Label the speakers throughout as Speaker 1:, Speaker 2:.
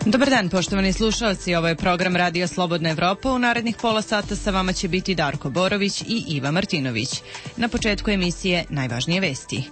Speaker 1: Dobar dan, poštovani slušalci, ovo je program Radio Slobodna Evropa. U narednih pola sata sa vama će biti Darko Borović i Iva Martinović. Na početku emisije najvažnije vesti.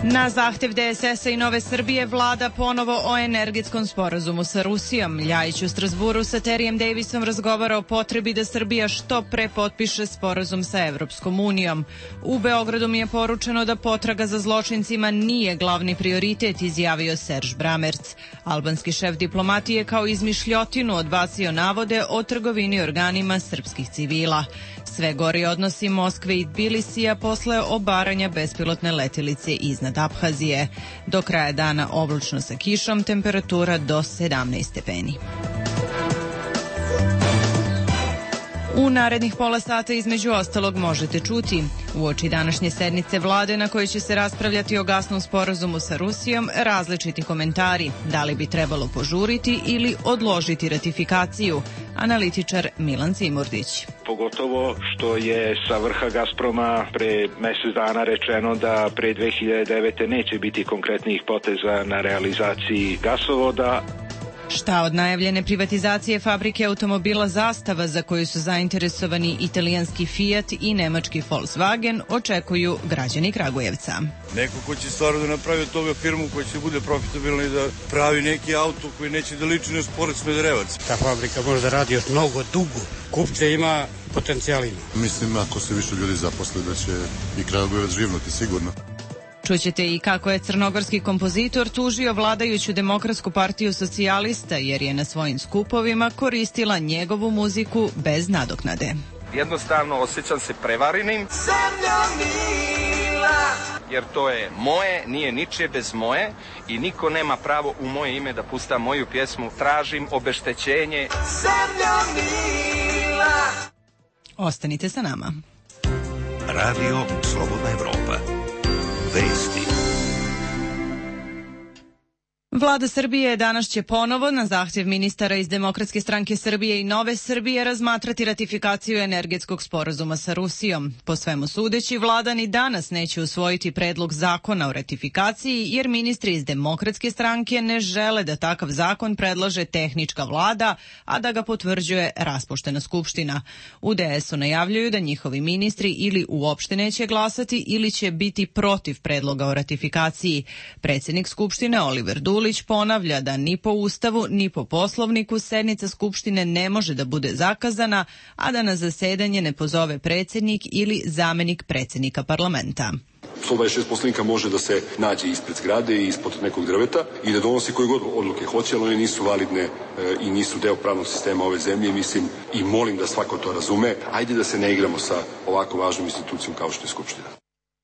Speaker 1: Na zahtev DSS-a i Nove Srbije vlada ponovo o energetskom sporazumu sa Rusijom. Ljajić u Strazburu sa Terijem Davisom razgovara o potrebi da Srbija što pre potpiše sporazum sa Evropskom unijom. U Beogradu mi je poručeno da potraga za zločincima nije glavni prioritet, izjavio Serž Bramerc. Albanski šef diplomatije kao izmišljotinu odbacio navode o trgovini organima srpskih civila. Sve gori odnosi Moskve i Tbilisija posle obaranja bespilotne letelice iznad Abhazije. Do kraja dana oblačno sa kišom, temperatura do 17 stepeni. U narednih pola sata između ostalog možete čuti: uoči današnje sednice vlade na kojoj će se raspravljati o gasnom sporazumu sa Rusijom, različiti komentari, da li bi trebalo požuriti ili odložiti ratifikaciju. Analitičar Milan Cimurdić.
Speaker 2: Pogotovo što je sa vrha Gazproma pre mesec dana rečeno da pre 2009. neće biti konkretnih poteza na realizaciji gasovoda.
Speaker 1: Šta od najavljene privatizacije fabrike automobila Zastava, za koju su zainteresovani italijanski Fiat i nemački Volkswagen, očekuju građani Kragujevca.
Speaker 3: Neko ko će stvarno da napravi od toga firmu koja će bude profitabilna i da pravi neki auto koji neće da liči na Sport Smederevac.
Speaker 4: Ta fabrika može da radi još mnogo dugo. Kupce ima, potencijal ima.
Speaker 5: Mislim, ako se više ljudi zaposle, da će i Kragujevac živnuti sigurno.
Speaker 1: Čućete i kako je crnogorski kompozitor tužio vladajuću Demokratsku partiju socijalista jer je na svojim skupovima koristila njegovu muziku bez nadoknade.
Speaker 6: Jednostavno osjećam se prevarenim, jer to je moje, nije ničije bez moje i niko nema pravo u moje ime da pusta moju pjesmu. Tražim obeštećenje.
Speaker 1: Ostanite sa nama.
Speaker 7: Radio Slobodna Evropa. Vesti.
Speaker 1: Vlada Srbije danas će ponovo na zahtjev ministara iz Demokratske stranke Srbije i Nove Srbije razmatrati ratifikaciju energetskog sporazuma sa Rusijom. Po svemu sudeći, vlada ni danas neće usvojiti predlog zakona o ratifikaciji jer ministri iz Demokratske stranke ne žele da takav zakon predlaže tehnička vlada, a da ga potvrđuje raspuštena skupština. U DS-u najavljuju da njihovi ministri ili uopšte neće glasati ili će biti protiv predloga o ratifikaciji. Predsjednik skupštine Oliver Dulić ponavlja da ni po Ustavu ni po Poslovniku sednica Skupštine ne može da bude zakazana, a da na zasedanje ne pozove predsjednik ili zamenik predsjednika parlamenta.
Speaker 8: 126 poslanika može da se nađe ispred zgrade i ispod nekog drveta i da donosi koje god odluke hoće, ali one nisu validne i nisu deo pravnog sistema ove zemlje. Mislim i molim da svako to razume. Ajde da se ne igramo sa ovako važnom institucijom kao što je Skupština.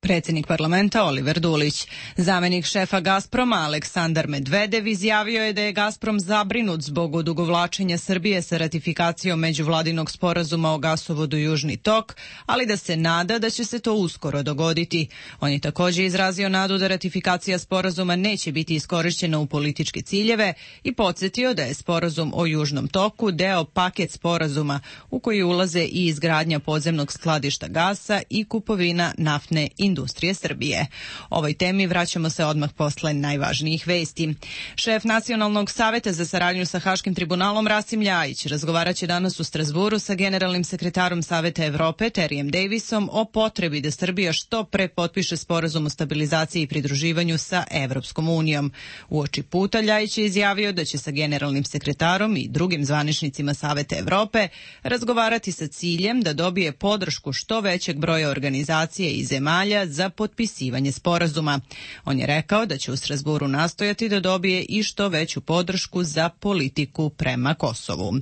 Speaker 1: Predsjednik parlamenta Oliver Dulić. Zamenik šefa Gazproma Aleksandar Medvedev izjavio je da je Gazprom zabrinut zbog odugovlačenja Srbije sa ratifikacijom međuvladinog sporazuma o gasovodu Južni tok, ali da se nada da će se to uskoro dogoditi. On je također izrazio nadu da ratifikacija sporazuma neće biti iskorišćena u političke ciljeve i podsjetio da je sporazum o Južnom toku deo paket sporazuma u koji ulaze i izgradnja podzemnog skladišta gasa i kupovina naftne industrije Srbije. Ovoj temi vraćamo se odmah posle najvažnijih vesti. Šef Nacionalnog saveta za saradnju sa Haškim tribunalom Rasim Ljajić razgovarat će danas u Strazburu sa generalnim sekretarom Saveta Evrope Terijem Davisom o potrebi da Srbija što pre potpiše sporazum o stabilizaciji i pridruživanju sa Evropskom unijom. Uoči puta Ljajić je izjavio da će sa generalnim sekretarom i drugim zvaničnicima Saveta Evrope razgovarati sa ciljem da dobije podršku što većeg broja organizacije i zemalja za potpisivanje sporazuma. On je rekao da će u Strazburu nastojati da dobije i što veću podršku za politiku prema Kosovu.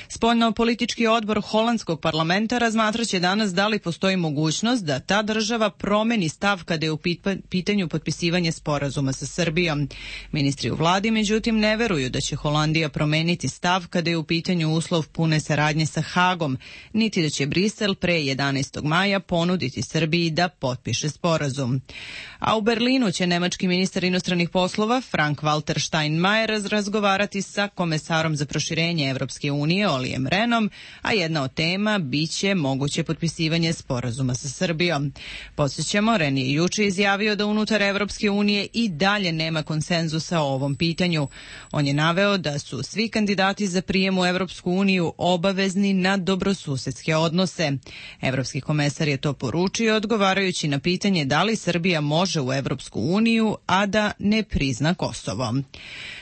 Speaker 1: Spoljno-politički odbor holandskog parlamenta razmatraće danas da li postoji mogućnost da ta država promeni stav kada je u pitanju potpisivanje sporazuma sa Srbijom. Ministri u vladi, međutim, ne veruju da će Holandija promeniti stav kada je u pitanju uslov pune saradnje sa Hagom, niti da će Brisel pre 11. maja ponuditi Srbiji da potpiše potpiše sporazum. A u Berlinu će nemački ministar inostranih poslova Frank-Walter Steinmeier razgovarati sa komesarom za proširenje Evropske unije Olijem Rehnom, a jedna od tema biće moguće potpisivanje sporazuma sa Srbijom. Podsjećamo, Rehn je juče izjavio da unutar Evropske unije i dalje nema konsenzusa o ovom pitanju. On je naveo da su svi kandidati za prijem u Evropsku uniju obavezni na dobrosusedske odnose. Evropski komesar je to poručio odgovarajući na pitanje da li Srbija može u Evropsku uniju, a da ne prizna Kosovo.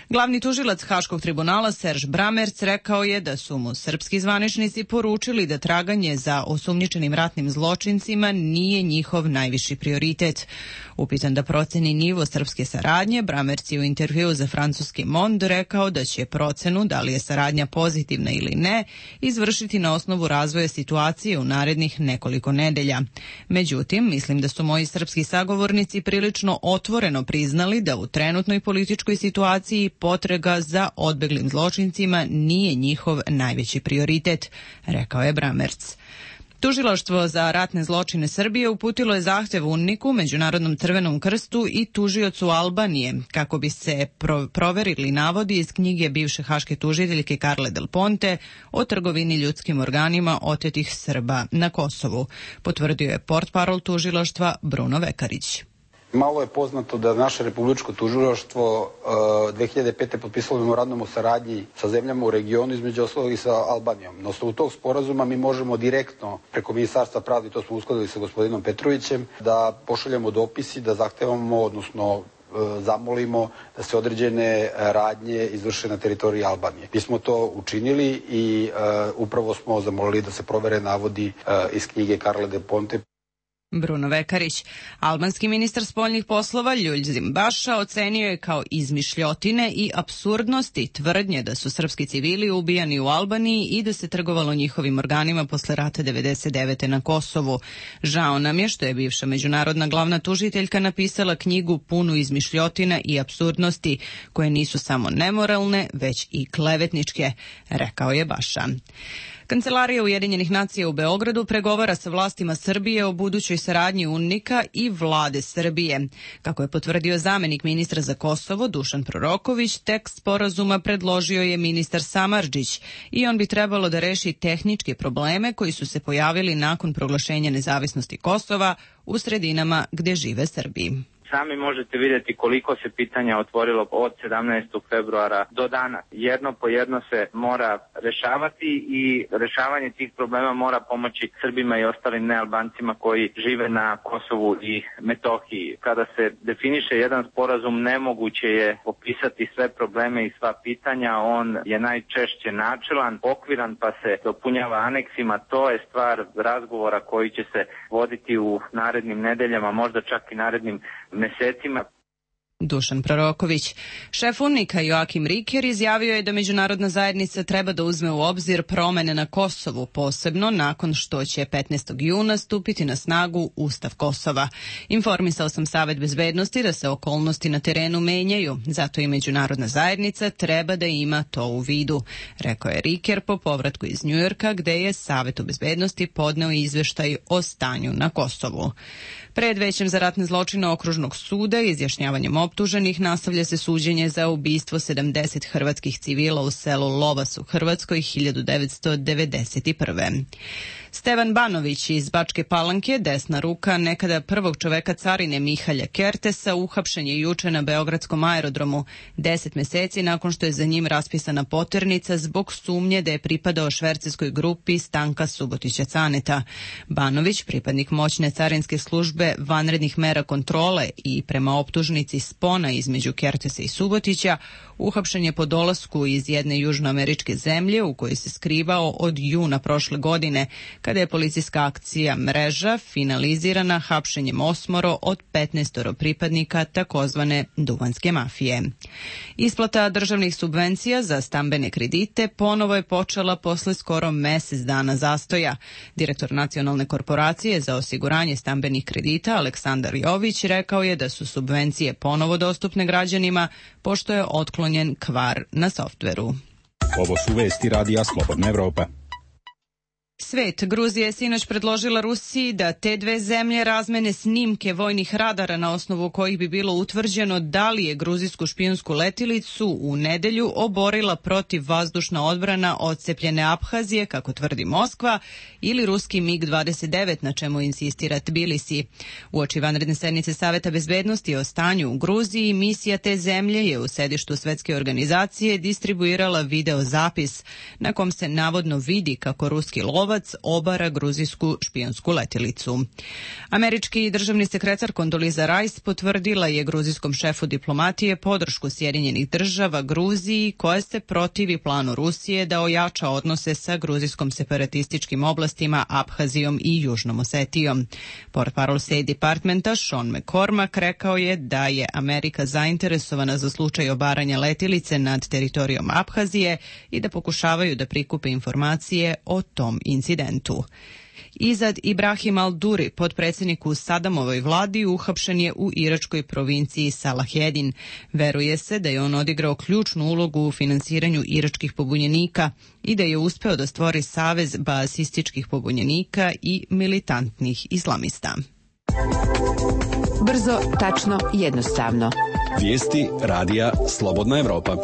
Speaker 1: Glavni tužilac Haškog tribunala Serž Bramerc rekao je da su mu srpski zvaničnici poručili da traganje za osumnjičenim ratnim zločincima nije njihov najviši prioritet. Upitan da proceni nivo srpske saradnje, Bramerc je u intervjuu za francuski Monde rekao da će procenu da li je saradnja pozitivna ili ne izvršiti na osnovu razvoja situacije u narednih nekoliko nedelja. Međutim, mislim da su moji srpski sagovornici prilično otvoreno priznali da u trenutnoj političkoj situaciji potraga za odbeglim zločincima nije njihov najveći prioritet, rekao je Bramerc. Tužilaštvo za ratne zločine Srbije uputilo je zahtev UNMIK-u, Međunarodnom crvenom krstu i tužiocu Albanije kako bi se proverili navodi iz knjige bivše haške tužiteljke Carle Del Ponte o trgovini ljudskim organima otetih Srba na Kosovu, potvrdio je portparol tužilaštva Bruno Vekarić.
Speaker 9: Malo je poznato da naše republičko tužilaštvo 2005. potpisalo memorandum o saradnji sa zemljama u regionu, između ostalog i sa Albanijom. Na osnovu tog sporazuma mi možemo direktno preko Ministarstva pravde, to smo uskladili sa gospodinom Petrovićem, da pošaljemo dopisi, da zahtevamo, odnosno zamolimo da se određene radnje izvrše na teritoriji Albanije. Mi smo to učinili i upravo smo zamolili da se provere navodi iz knjige Carle Del Ponte.
Speaker 1: Bruno Vekarić. Albanski ministar spoljnih poslova Ljuljzim Baša ocenio je kao izmišljotine i apsurdnosti tvrdnje da su srpski civili ubijani u Albaniji i da se trgovalo njihovim organima posle rata 99. na Kosovu. Žao nam je što je bivša međunarodna glavna tužiteljka napisala knjigu punu izmišljotina i apsurdnosti koje nisu samo nemoralne, već i klevetničke, rekao je Baša. Kancelarija Ujedinjenih nacija u Beogradu pregovara sa vlastima Srbije o budućoj saradnji UNMIK-a i vlade Srbije. Kako je potvrdio zamenik ministra za Kosovo Dušan Proroković, tekst sporazuma predložio je ministar Samardžić i on bi trebalo da reši tehničke probleme koji su se pojavili nakon proglašenja nezavisnosti Kosova u sredinama gde žive Srbi.
Speaker 10: Sami možete vidjeti koliko se pitanja otvorilo od 17. februara do danas. Jedno po jedno se mora rešavati i rešavanje tih problema mora pomoći Srbima i ostalim nealbancima koji žive na Kosovu i Metohiji. Kada se definiše jedan sporazum, nemoguće je opisati sve probleme i sva pitanja. On je najčešće načelan, okviran, pa se dopunjava aneksima. To je stvar razgovora koji će se voditi u narednim nedeljama, možda čak i narednim mesecima.
Speaker 1: Dušan Proroković. Šef UNMIK-a Joakim Riker izjavio je da međunarodna zajednica treba da uzme u obzir promene na Kosovu, posebno nakon što će 15. juna stupiti na snagu Ustav Kosova. Informisao sam Savet bezbednosti da se okolnosti na terenu menjaju, zato i međunarodna zajednica treba da ima to u vidu, rekao je Riker po povratku iz Njujorka, gde je Savetu bezbednosti podneo izveštaj o stanju na Kosovu. Pred Većem za ratne zločine Okružnog suda izjašnjavanjem optuženih nastavlja se suđenje za ubistvo 70 hrvatskih civila u selu Lovas u Hrvatskoj 1991. Stevan Banović iz Bačke Palanke, desna ruka nekada prvog čoveka carine Mihalja Kertesa, uhapšen je juče na beogradskom aerodromu 10 meseci nakon što je za njim raspisana poternica zbog sumnje da je pripadao švercerskoj grupi Stanka Subotića Caneta. Banović, pripadnik moćne carinske službe vanrednih mera kontrole i prema optužnici spona između Kertesa i Subotića, uhapšen je po dolasku iz jedne južnoameričke zemlje u kojoj se skrivao od juna prošle godine, kada je policijska akcija Mreža finalizirana hapšenjem 8 od 15 pripadnika takozvane duvanske mafije. Isplata državnih subvencija za stambene kredite ponovo je počela posle skoro mesec dana zastoja. Direktor Nacionalne korporacije za osiguranje stambenih kredita Aleksandar Jović rekao je da su subvencije ponovo dostupne građanima pošto je otklonjen kvar na softveru.
Speaker 11: Ovo su vesti Radija Slobodna Evropa.
Speaker 1: Svet. Gruzija je sinoć predložila Rusiji da te dve zemlje razmene snimke vojnih radara na osnovu kojih bi bilo utvrđeno da li je gruzijsku špijunsku letilicu u nedelju oborila protivvazdušna odbrana odcepljene Abhazije, kako tvrdi Moskva, ili ruski MiG-29, na čemu insistira Tbilisi. Uoči vanredne sednice Saveta bezbednosti o stanju u Gruziji, misija te zemlje je u sedištu Svetske organizacije distribuirala videozapis na kom se navodno vidi kako ruski lovac obara gruzijsku špijunsku letilicu. Američki državni sekretar Condoleezza Rice potvrdila je gruzijskom šefu diplomatije podršku Sjedinjenih država Gruziji, koja se protivi planu Rusije da ojača odnose sa gruzijskom separatističkim oblastima Abhazijom i Južnom Osetijom. Portparol State Departmenta Sean McCormack rekao je da je Amerika zainteresovana za slučaj obaranja letilice nad teritorijom Abhazije i da pokušavaju da prikupe informacije o tom incidentu. Izad Ibrahim al-Duri, potpredsjednik u Sadamovoj vladi, uhapšen je u iračkoj provinciji Salahedin. Veruje se da je on odigrao ključnu ulogu u finansiranju iračkih pobunjenika i da je uspeo da stvori savez baasističkih pobunjenika i militantnih islamista.
Speaker 11: Brzo, tačno, jednostavno.
Speaker 12: Vijesti radija Slobodna Evropa.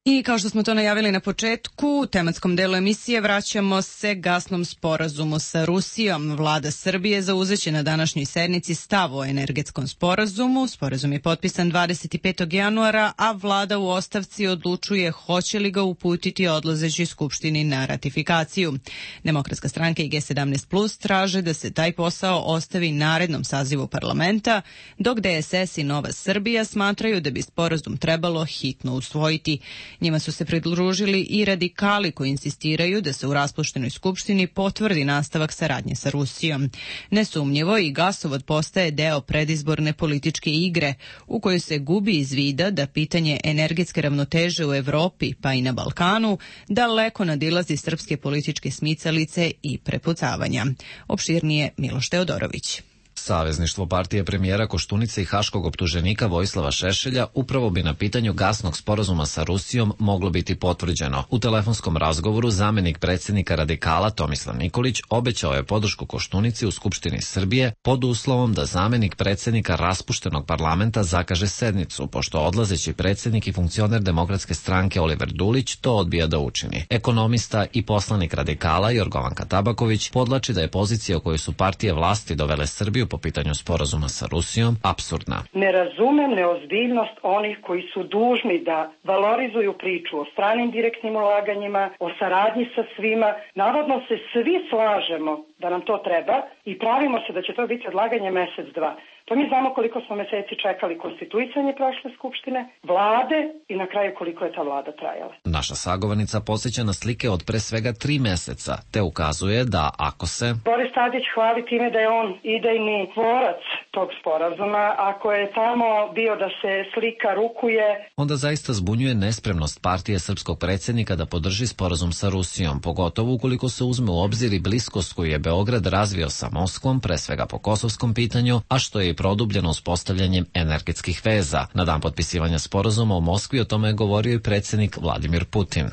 Speaker 1: I kao što smo to najavili na početku, u tematskom delu emisije vraćamo se gasnom sporazumu sa Rusijom. Vlada Srbije zauzeće na današnjoj sednici stav o energetskom sporazumu. Sporazum je potpisan 25. januara, a vlada u ostavci odlučuje hoće li ga uputiti odlazećoj skupštini na ratifikaciju. Demokratska stranka i G17+ traže da se taj posao ostavi narednom sazivu parlamenta, dok DSS i Nova Srbija smatraju da bi sporazum trebalo hitno usvojiti. Njima su se pridružili i radikali koji insistiraju da se u raspuštenoj skupštini potvrdi nastavak saradnje sa Rusijom. Nesumnjivo i gasovod postaje deo predizborne političke igre u kojoj se gubi iz vida da pitanje energetske ravnoteže u Evropi pa i na Balkanu daleko nadilazi srpske političke smicalice i prepucavanja. Opširnije Miloš Teodorović.
Speaker 13: Savezništvo partije premijera Koštunice i haškog optuženika Vojislava Šešelja upravo bi na pitanju gasnog sporazuma sa Rusijom moglo biti potvrđeno. U telefonskom razgovoru zamenik predsjednika radikala Tomislav Nikolić obećao je podršku Koštunici u Skupštini Srbije pod uslovom da zamenik predsjednika raspuštenog parlamenta zakaže sednicu, pošto odlazeći predsjednik i funkcioner Demokratske stranke Oliver Dulić to odbija da učini. Ekonomista i poslanik radikala Jorgovanka Tabaković podlači da je pozicija o kojoj su partije vlasti dovele Srbiju po pitanju sporazuma sa Rusijom apsurdna.
Speaker 14: Ne razumem neozbiljnost onih koji su dužni da valorizuju priču o stranim direktnim ulaganjima, o saradnji sa svima. Navodno se svi slažemo da nam to treba i pravimo se da će to biti odlaganje mesec, dva. To mi znamo koliko smo meseci čekali konstituisanje prošle skupštine, vlade i na kraju koliko je ta vlada trajala.
Speaker 13: Naša sagovornica podsjeća na slike od pre svega 3 meseca, te ukazuje da ako se
Speaker 14: Boris Tadić hvali time da je on idejni tvorac tog sporazuma, ako je tamo bio da se slika rukuje,
Speaker 13: onda zaista zbunjuje nespremnost partije srpskog predsjednika da podrži sporazum sa Rusijom, pogotovo ukoliko se uzme u obzir i bliskost koju je Beograd razvio sa Moskvom, pre svega po kosovskom pitanju, a što je produbljeno uspostavljanjem energetskih veza. Na dan potpisivanja sporazuma u Moskvi o tome je govorio i predsjednik Vladimir Putin.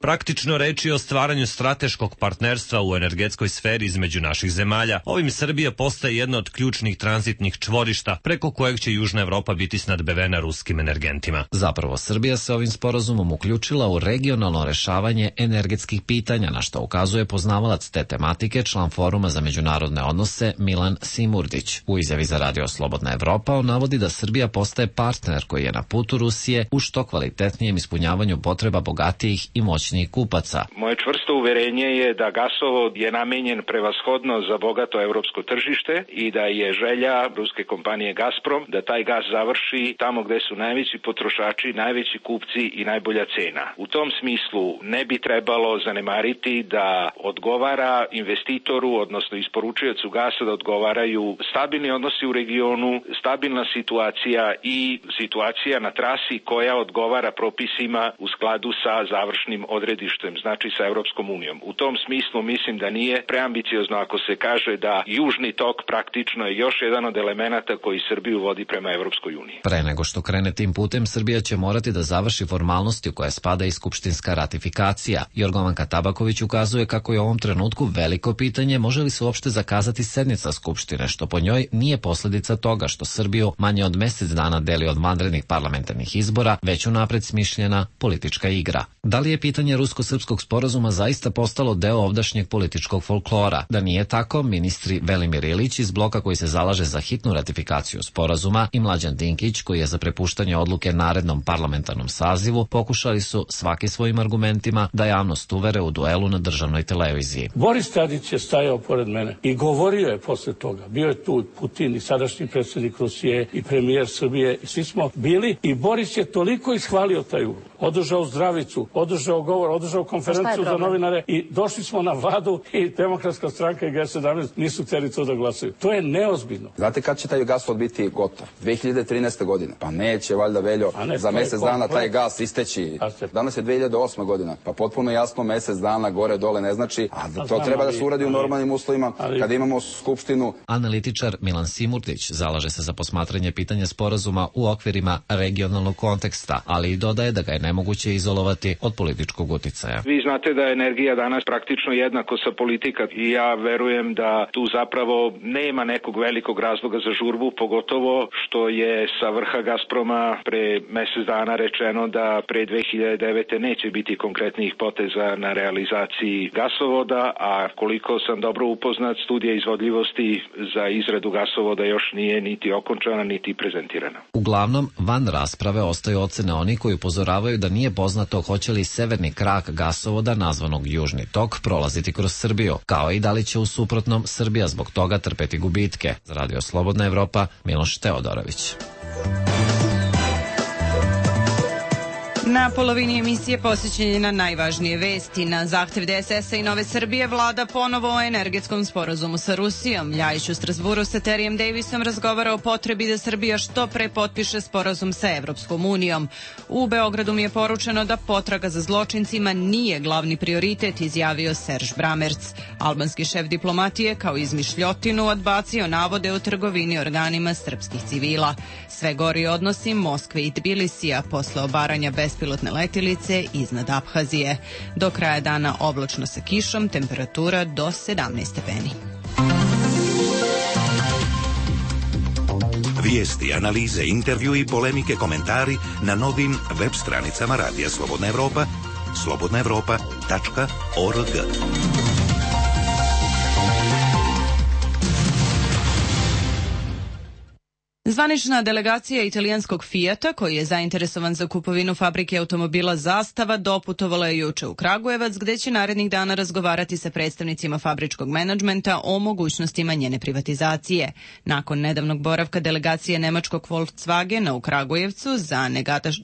Speaker 15: Praktično reči o stvaranju strateškog partnerstva u energetskoj sferi između naših zemalja. Ovim Srbija postaje jedna od ključnih tranzitnih čvorišta preko kojeg će Južna Evropa biti snadbevena ruskim energentima.
Speaker 13: Zapravo, Srbija se ovim sporazumom uključila u regionalno rešavanje energetskih pitanja, na što ukazuje poznavalac te tematike, član Foruma za međunarodne odnose Milan Simurdić. U izjavi za Radio Slobodna Evropa on navodi da Srbija postaje partner koji je na putu Rusije u što kvalitetnijem ispunjavanju potreba bogatijih i moćnijih kupaca.
Speaker 2: Moje čvrsto uverenje je da gasovod je namenjen prevashodno za bogato evropsko tržište i da je želja ruske kompanije Gazprom da taj gas završi tamo gde su najveći potrošači, najveći kupci i najbolja cena. U tom smislu ne bi trebalo zanemariti da odgovara investitoru, odnosno isporučiocu gasa, da odgovaraju stabilni odnosi u regionu, stabilna situacija i situacija na trasi koja odgovara propisima u skladu sa završnim odredištem, znači sa Evropskom unijom. U tom smislu mislim da nije preambiciozno ako se kaže da Južni tok praktično praktično je još jedan od elemenata koji Srbiju vodi prema Evropskoj uniji.
Speaker 13: Pre nego što krene tim putem, Srbija će morati da završi formalnosti u koje spada i skupštinska ratifikacija. Jorgovanka Tabaković ukazuje kako je u ovom trenutku veliko pitanje može li se uopšte zakazati sednica Skupštine, što po njoj nije posledica toga što Srbiju manje od mesec dana deli od vanrednih parlamentarnih izbora, već unapred smišljena politička igra. Da li je pitanje rusko-srpskog sporazuma zaista postalo deo ovdašnjeg političkog folklora? Da nije tako, ministri Velimir Ilić iz bloka koji se zalaže za hitnu ratifikaciju sporazuma i Mlađan Dinkić koji je za prepuštanje odluke narednom parlamentarnom sazivu pokušali su svaki svojim argumentima da javnost uvere u duelu na državnoj televiziji.
Speaker 16: Boris Tadić je stajao pored mene i govorio je posle toga. Bio je tu Putin i sadašnji predsjednik Rusije i premijer Srbije i svi smo bili i Boris je toliko ishvalio taj ugovor. Održao zdravicu, održao govor, održao konferenciju za novinare i došli smo na vladu i Demokratska stranka i G17 nisu htjeli to da glasaju. To je neozbiljno.
Speaker 17: Znate kad će taj gasvod biti gotov? 2013. godine. Pa neće valjda, Veljo, za mjesec dana taj gas isteći. Danas je 2008. godina. Pa potpuno jasno mjesec dana gore dole ne znači, a to treba da se uradi u normalnim uslovima kada imamo skupštinu.
Speaker 13: Analitičar Milan Simurtić zalaže se za posmatranje pitanja sporazuma u okvirima regionalnog konteksta, ali i dodaje da ga je nemoguće izolovati od političkog uticaja.
Speaker 2: Vi znate da je energija danas praktično jednako sa politika i ja verujem da tu zapravo nema nekog velikog razloga za žurbu, pogotovo što je sa vrha Gazproma pre mjesec dana rečeno da pre 2009. neće biti konkretnih poteza na realizaciji gasovoda, a koliko sam dobro upoznat, studija izvodljivosti za izradu gasovoda još nije niti okončana, niti prezentirana.
Speaker 13: Uglavnom, van rasprave ostaju ocene oni koji upozoravaju da nije poznato hoće li severni krak gasovoda nazvanog Južni tok prolaziti kroz Srbiju, kao i da li će u suprotnom Srbija zbog toga trpeti gubitke. Za Radio Slobodna Evropa, Miloš Teodorović.
Speaker 1: Na polovini emisije posjećenje na najvažnije vesti. Na zahtev DSS-a i Nove Srbije vlada ponovo o energetskom sporazumu sa Rusijom. Ljajić u Strasburu sa Terijem Davisom razgovara o potrebi da Srbija što pre potpiše sporazum sa Evropskom unijom. U Beogradu mi je poručeno da potraga za zločincima nije glavni prioritet, izjavio Serž Bramerc. Albanski šef diplomatije kao izmišljotinu odbacio navode o trgovini organima srpskih civila. Sve gori odnosi Moskve i Tbilisija posle obaranja bespilotne letilice iznad Abhazije. Do kraja dana oblačno sa kišom, temperatura do 17 stepeni.
Speaker 7: Vijesti, analize, intervju i polemike, komentari na novim web stranicama Radija Slobodna Evropa, slobodnaevropa.org.
Speaker 1: Zvanična delegacija italijanskog Fijata, koji je zainteresovan za kupovinu fabrike automobila Zastava, doputovala je juče u Kragujevac, gde će narednih dana razgovarati sa predstavnicima fabričkog menadžmenta o mogućnostima njene privatizacije. Nakon nedavnog boravka delegacije nemačkog Volkswagena u Kragujevcu za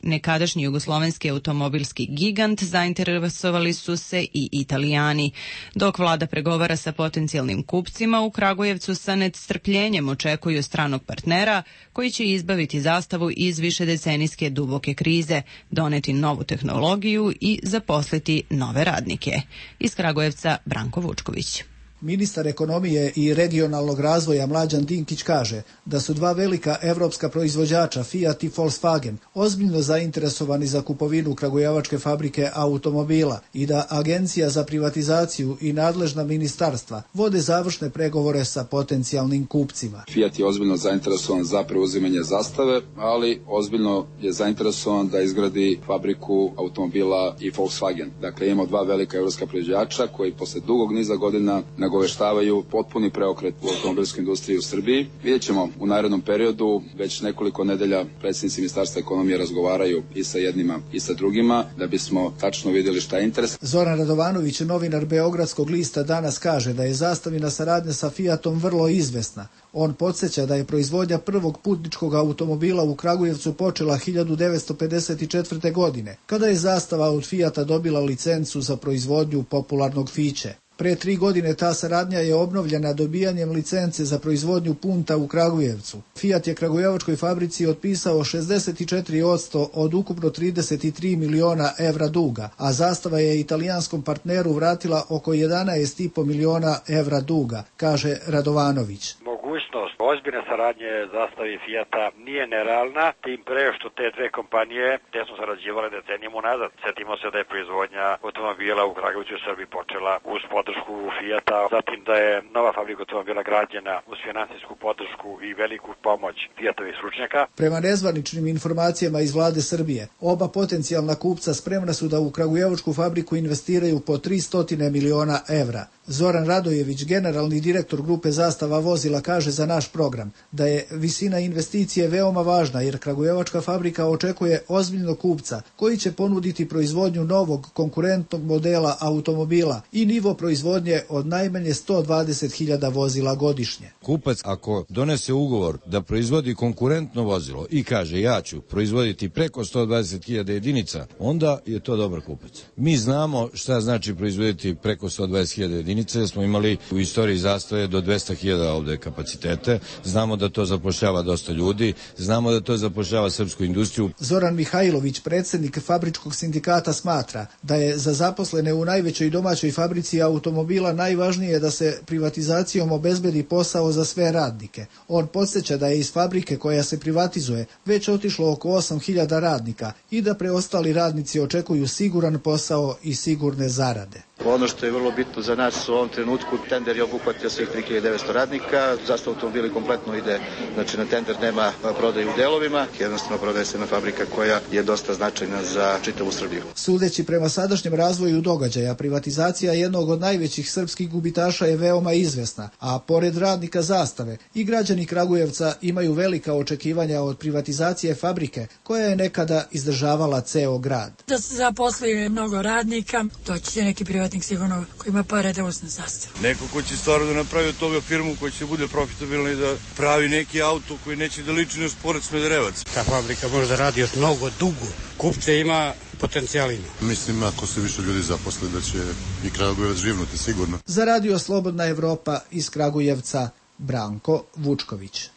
Speaker 1: nekadašnji jugoslovenski automobilski gigant zainteresovali su se i Italijani. Dok vlada pregovara sa potencijalnim kupcima, u Kragujevcu sa nestrpljenjem očekuju stranog partnera koji će izbaviti Zastavu iz višedecenijske duboke krize, doneti novu tehnologiju i zaposliti nove radnike. Iz Kragujevca Branko Vučković.
Speaker 18: Ministar ekonomije i regionalnog razvoja Mlađan Dinkić kaže da su dva velika evropska proizvođača Fiat i Volkswagen ozbiljno zainteresovani za kupovinu kragujevačke fabrike automobila i da Agencija za privatizaciju i nadležna ministarstva vode završne pregovore sa potencijalnim kupcima.
Speaker 17: Fiat je ozbiljno zainteresovan za preuzimanje Zastave, ali ozbiljno je zainteresovan da izgradi fabriku automobila i Volkswagen. Dakle, imamo dva velika evropska proizvođača koji posle dugog niza godina nagoveštavaju potpuni preokret u automobilskoj industriji u Srbiji. Vidjet ćemo u narednom periodu, već nekoliko nedelja predsjednici Ministarstva ekonomije razgovaraju i sa jednima i sa drugima, da bismo tačno vidjeli šta je interes.
Speaker 18: Zoran Radovanović, novinar Beogradskog lista, danas kaže da je Zastavina saradnja sa Fiatom vrlo izvesna. On podsjeća da je proizvodnja prvog putničkog automobila u Kragujevcu počela 1954. godine, kada je Zastava od Fiata dobila licencu za proizvodnju popularnog Fiće. Pre 3 godine ta saradnja je obnovljena dobijanjem licence za proizvodnju punta u Kragujevcu. Fiat je kragujevačkoj fabrici otpisao 64% od ukupno 33 miliona evra duga, a Zastava je italijanskom partneru vratila oko 11,5 miliona evra duga, kaže Radovanović.
Speaker 19: Mogućnost ozbiljne saradnje Zastave i Fijata nije nerealna, tim pre što te dve kompanije te su sarađivale decenijama unazad. Sjetimo se da je proizvodnja automobila u Kragujevcu u Srbiji počela uz podršku Fijata, zatim da je nova fabrika automobila građena uz finansijsku podršku i veliku pomoć Fijatovih stručnjaka.
Speaker 18: Prema nezvaničnim informacijama iz vlade Srbije, oba potencijalna kupca spremna su da u kragujevačku fabriku investiraju po 300 miliona evra. Zoran Radojević, generalni direktor grupe Zastava vozila, kaže za naš program da je visina investicije veoma važna jer kragujevačka fabrika očekuje ozbiljnog kupca koji će ponuditi proizvodnju novog konkurentnog modela automobila i nivo proizvodnje od najmanje 120.000 vozila godišnje.
Speaker 20: Kupac ako donese ugovor da proizvodi konkurentno vozilo i kaže ja ću proizvoditi preko 120.000 jedinica, onda je to dobar kupac. Mi znamo šta znači proizvoditi preko 120.000 jedinica, smo imali u istoriji Zastave do 200.000 ovde kapacitete, znamo da to zapošljava dosta ljudi, znamo da to zapošljava srpsku industriju.
Speaker 18: Zoran Mihajlović, predsjednik Fabričkog sindikata, smatra da je za zaposlene u najvećoj domaćoj fabrici automobila najvažnije da se privatizacijom obezbedi posao za sve radnike. On podsjeća da je iz fabrike koja se privatizuje već otišlo oko 8.000 radnika i da preostali radnici očekuju siguran posao i sigurne zarade.
Speaker 21: Ono što je vrlo bitno za nas u ovom trenutku, tender je obuhvatio svih 3.900 radnika, zašto automobili kompletno ide, znači na tender nema prodaju u delovima, jednostavno prodaje se na fabrika koja je dosta značajna za čitavu Srbiju.
Speaker 18: Sudeći prema sadašnjem razvoju događaja, privatizacija jednog od najvećih srpskih gubitaša je veoma izvesna, a pored radnika Zastave i građani Kragujevca imaju velika očekivanja od privatizacije fabrike koja je nekada izdržavala ceo grad.
Speaker 22: Da se zaposli mnogo radnika, doći će neki privatnik sigurno koji ima pare da uzme Zastavu.
Speaker 3: Neko ko će stvarno da napravi od toga firmu koja će bude profitabilna i da pravi neki auto koji neće da liči na Sport Smederevac.
Speaker 4: Ta fabrika može da radi još mnogo dugo. Kupce ima, potencijal ima.
Speaker 5: Mislim, ako se više ljudi zaposle, da će i Kragujevac živnuti sigurno.
Speaker 18: Za Radio Slobodna Evropa iz Kragujevca, Branko Vučković.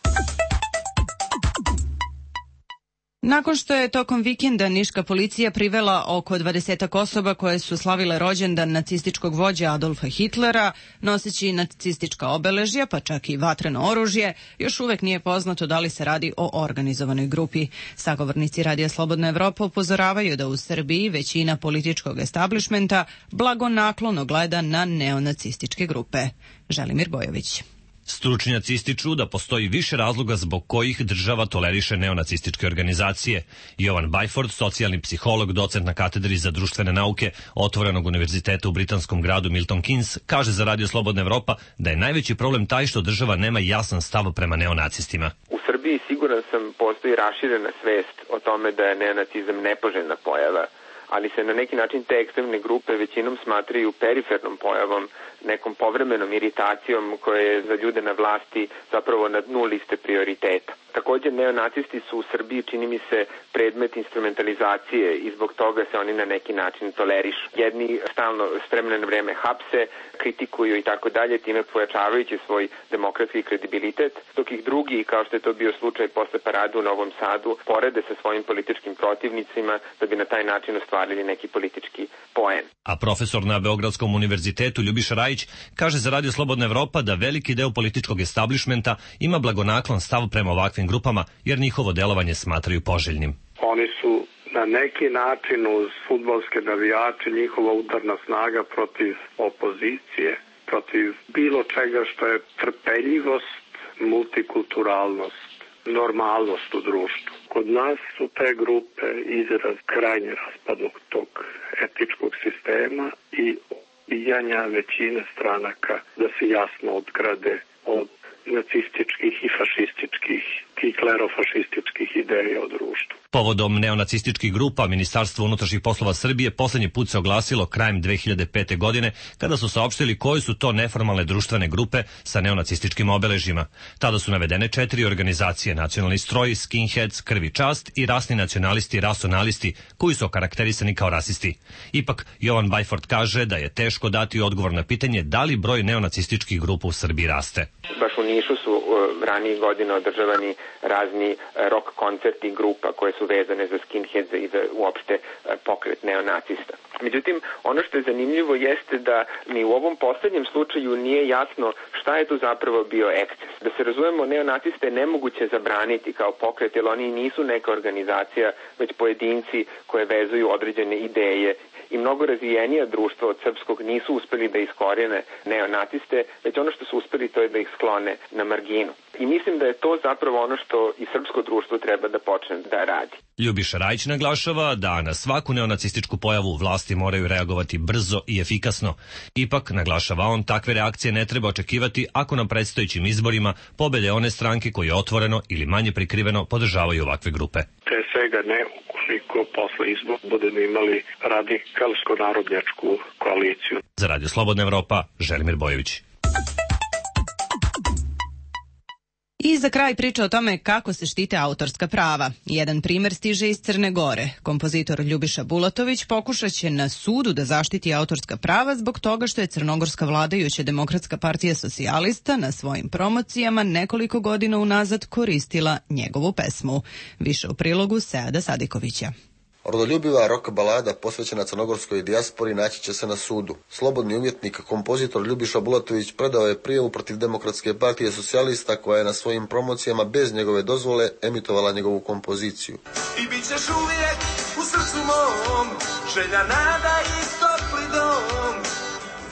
Speaker 1: Nakon što je tokom vikenda niška policija privela oko 20 osoba koje su slavile rođendan nacističkog vođa Adolfa Hitlera, noseći nacistička obeležja, pa čak i vatreno oružje, još uvek nije poznato da li se radi o organizovanoj grupi. Sagovornici Radija Slobodna Evropa upozoravaju da u Srbiji većina političkog establišmenta blagonaklono gleda na neonacističke grupe. Želimir Bojović.
Speaker 15: Stručnjaci ističu da postoji više razloga zbog kojih država toleriše neonacističke organizacije. Jovan Bajford, socijalni psiholog, docent na katedri za društvene nauke Otvorenog univerziteta u britanskom gradu Milton Keynes, kaže za Radio Slobodna Evropa da je najveći problem taj što država nema jasan stav prema neonacistima.
Speaker 23: U Srbiji siguran sam postoji raširena svest o tome da je neonacizam nepoželjna pojava, ali se na neki način te ekstremne grupe većinom smatraju perifernom pojavom, nekom povremenom iritacijom koja je za ljude na vlasti zapravo na dnu liste prioriteta. Također, neonacisti su u Srbiji, čini mi se, predmet instrumentalizacije i zbog toga se oni na neki način tolerišu. Jedni stalno s vremena na vreme hapse, kritikuju i tako dalje, time pojačavajući svoj demokratski kredibilitet, dok ih drugi, kao što je to bio slučaj posle parade u Novom Sadu, porede sa svojim političkim protivnicima da bi na taj način ostvarili neki politički poen.
Speaker 15: A profesor na Beogradskom univerzitetu Ljubiša Rajić kaže za Radio Slobodna Evropa da veliki deo političkog establišmenta ima blagonaklon stav prema ovakvim grupama jer njihovo delovanje smatraju poželjnim.
Speaker 24: Oni su na neki način uz fudbalske navijače njihova udarna snaga protiv opozicije, protiv bilo čega što je trpeljivost, multikulturalnost, normalnost u društvu. Kod nas su te grupe izraz krajnje raspadnog tog etičkog sistema i odbijanja većine stranaka da se jasno odgrade od nacističkih i fašističkih i klerofašističkih ideja o društvu.
Speaker 15: Povodom neonacističkih grupa, Ministarstvo unutrašnjih poslova Srbije poslednji put se oglasilo krajem 2005. godine kada su saopštili koje su to neformalne društvene grupe sa neonacističkim obeležjima. Tada su navedene 4 organizacije: Nacionalni stroj, Skinheads, Krvi čast i rasni nacionalisti i rasonalisti koji su okarakterisani kao rasisti. Ipak, Jovan Bajford kaže da je teško dati odgovor na pitanje da li broj neonacističkih grupa u Srbiji raste.
Speaker 23: Baš u Nišu su ranijih godina održavani razni rock koncerti grupa koje su vezane za skinheadze i za uopšte pokret neonacista. Međutim, ono što je zanimljivo jeste da mi u ovom poslednjem slučaju nije jasno šta je tu zapravo bio eksces. Da se razumemo, neonaciste je nemoguće zabraniti kao pokret, jer oni nisu neka organizacija, već pojedinci koje vezuju određene ideje i mnogo razvijenija društva od srpskog nisu uspeli da iskorene neonaciste, već ono što su uspeli to je da ih sklone na marginu. I mislim da je to zapravo ono što i srpsko društvo treba da počne da radi.
Speaker 15: Ljubiša Rajić naglašava da na svaku neonacističku pojavu vlasti moraju reagovati brzo i efikasno. Ipak, naglašava on, takve reakcije ne treba očekivati ako na predstojećim izborima pobede one stranke koje otvoreno ili manje prikriveno podržavaju ovakve grupe.
Speaker 24: Pre svega ne ukoliko posle izbora budemo imali radikalsko-narodnjačku koaliciju.
Speaker 15: Za Radio Slobodna Evropa, Želimir Bojović.
Speaker 1: I za kraj priča o tome kako se štite autorska prava. Jedan primer stiže iz Crne Gore. Kompozitor Ljubiša Bulatović pokušat će na sudu da zaštiti autorska prava zbog toga što je crnogorska vladajuća Demokratska partija socijalista na svojim promocijama nekoliko godina unazad koristila njegovu pesmu. Više u prilogu Seada Sadikovića.
Speaker 6: Rodoljubiva rock balada posvećena crnogorskoj dijaspori naći će se na sudu. Slobodni umjetnik, kompozitor Ljubiša Bulatović predao je prijavu protiv Demokratske partije socijalista koja je na svojim promocijama bez njegove dozvole emitovala njegovu kompoziciju.
Speaker 8: I bit ćeš uvijek u srcu mom, želja, nada i topli dom,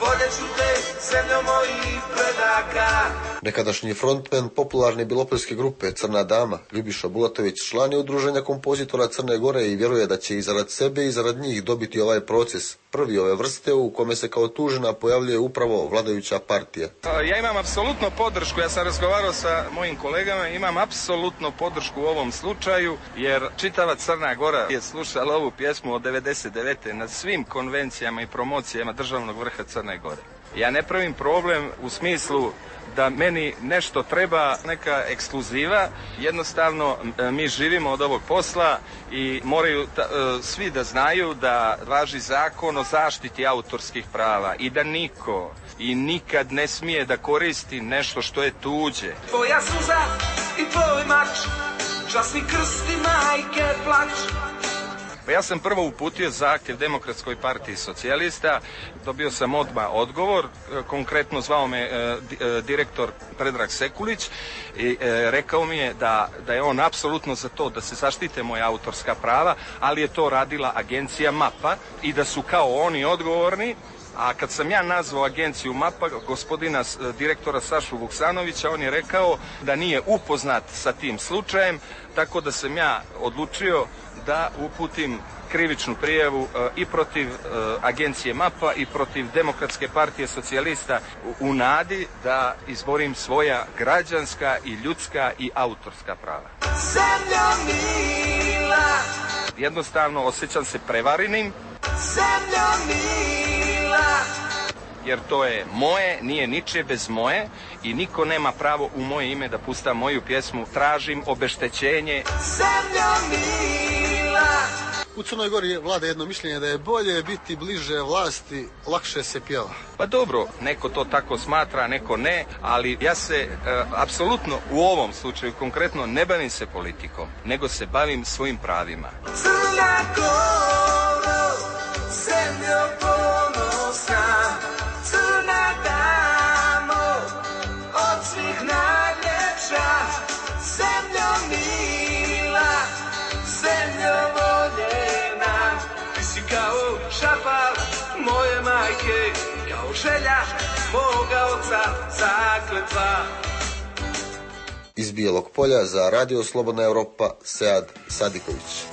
Speaker 8: voljet ću te, zemljo mojih predaka.
Speaker 6: Nekadašnji frontmen popularne bilopolske grupe Crna dama, Ljubiša Bulatović, član je udruženja kompozitora Crne Gore i vjeruje da će i zarad sebe i zarad njih dobiti ovaj proces, prvi ove vrste u kome se kao tužena pojavljuje upravo vladajuća partija.
Speaker 9: Ja imam apsolutno podršku, ja sam razgovarao sa mojim kolegama, imam apsolutno podršku u ovom slučaju, jer čitava Crna Gora je slušala ovu pjesmu od 99. na svim konvencijama i promocijama državnog vrha Crne Gore. Ja ne pravim problem u smislu da meni nešto treba, neka ekskluziva, jednostavno mi živimo od ovog posla i moraju svi da znaju da važi zakon o zaštiti autorskih prava i da niko i nikad ne smije da koristi nešto što je tuđe.
Speaker 8: Tvoja suza i tvoj mač, časni krst i majke plać.
Speaker 9: Ja sam prvo uputio zahtjev Demokratskoj partiji socijalista, dobio sam odmah odgovor, konkretno zvao me direktor Predrag Sekulić i rekao mi je da je on apsolutno za to da se zaštite moja autorska prava, ali je to radila agencija MAPA i da su kao oni odgovorni. A kad sam ja nazvao agenciju MAPA, gospodina direktora Sašu Vuksanovića, on je rekao da nije upoznat sa tim slučajem, tako da sam ja odlučio da uputim krivičnu prijavu i protiv agencije MAPA i protiv Demokratske partije socijalista u nadi da izborim svoja građanska i ljudska i autorska prava.
Speaker 8: Zemljo mila,
Speaker 9: jednostavno osjećam se prevarenim.
Speaker 8: Zemljo mila,
Speaker 9: jer to je moje, nije ničije bez moje i niko nema pravo u moje ime da pusta moju pjesmu. Tražim obeštećenje.
Speaker 8: Zemljo mila.
Speaker 10: U Crnoj Gori vlada jedno mišljenje da je bolje biti bliže vlasti, lakše se pjeva.
Speaker 9: Pa dobro, neko to tako smatra, neko ne, ali ja se apsolutno u ovom slučaju konkretno ne bavim se politikom, nego se bavim svojim pravima.
Speaker 8: Crna Goro, zemljo ponosna, crna damo, od svih najljepša, zemljo mila, zemljo voljena, ti si kao šapal moje majke, kao želja moga oca zakletva.
Speaker 6: Iz Bijelog Polja za Radio Slobodna Evropa, Sead Sadiković.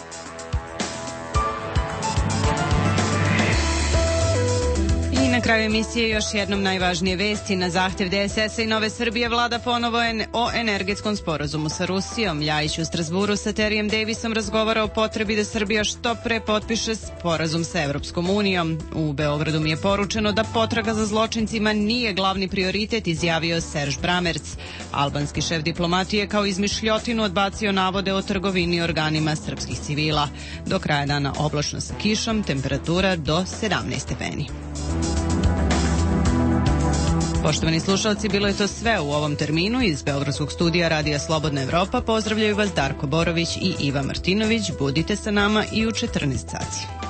Speaker 1: Na kraju emisije još jednom najvažnije vesti. Na zahtjev DSS-a i Nove Srbije vlada ponovo o energetskom sporazumu sa Rusijom. Ljajić u Strasburu sa Terijem Davisom razgovara o potrebi da Srbija što pre potpiše sporazum sa Evropskom unijom. U Beogradu mi je poručeno da potraga za zločincima nije glavni prioritet, izjavio Serž Bramerc. Albanski šef diplomatije kao izmišljotinu odbacio navode o trgovini organima srpskih civila. Do kraja dana oblačno sa kišom, temperatura do 17 stepeni. Poštovani slušalci, bilo je to sve u ovom terminu. Iz Beogradskog studija Radija Slobodna Evropa pozdravljaju vas Darko Borović i Iva Martinović. Budite sa nama i u 14 sati.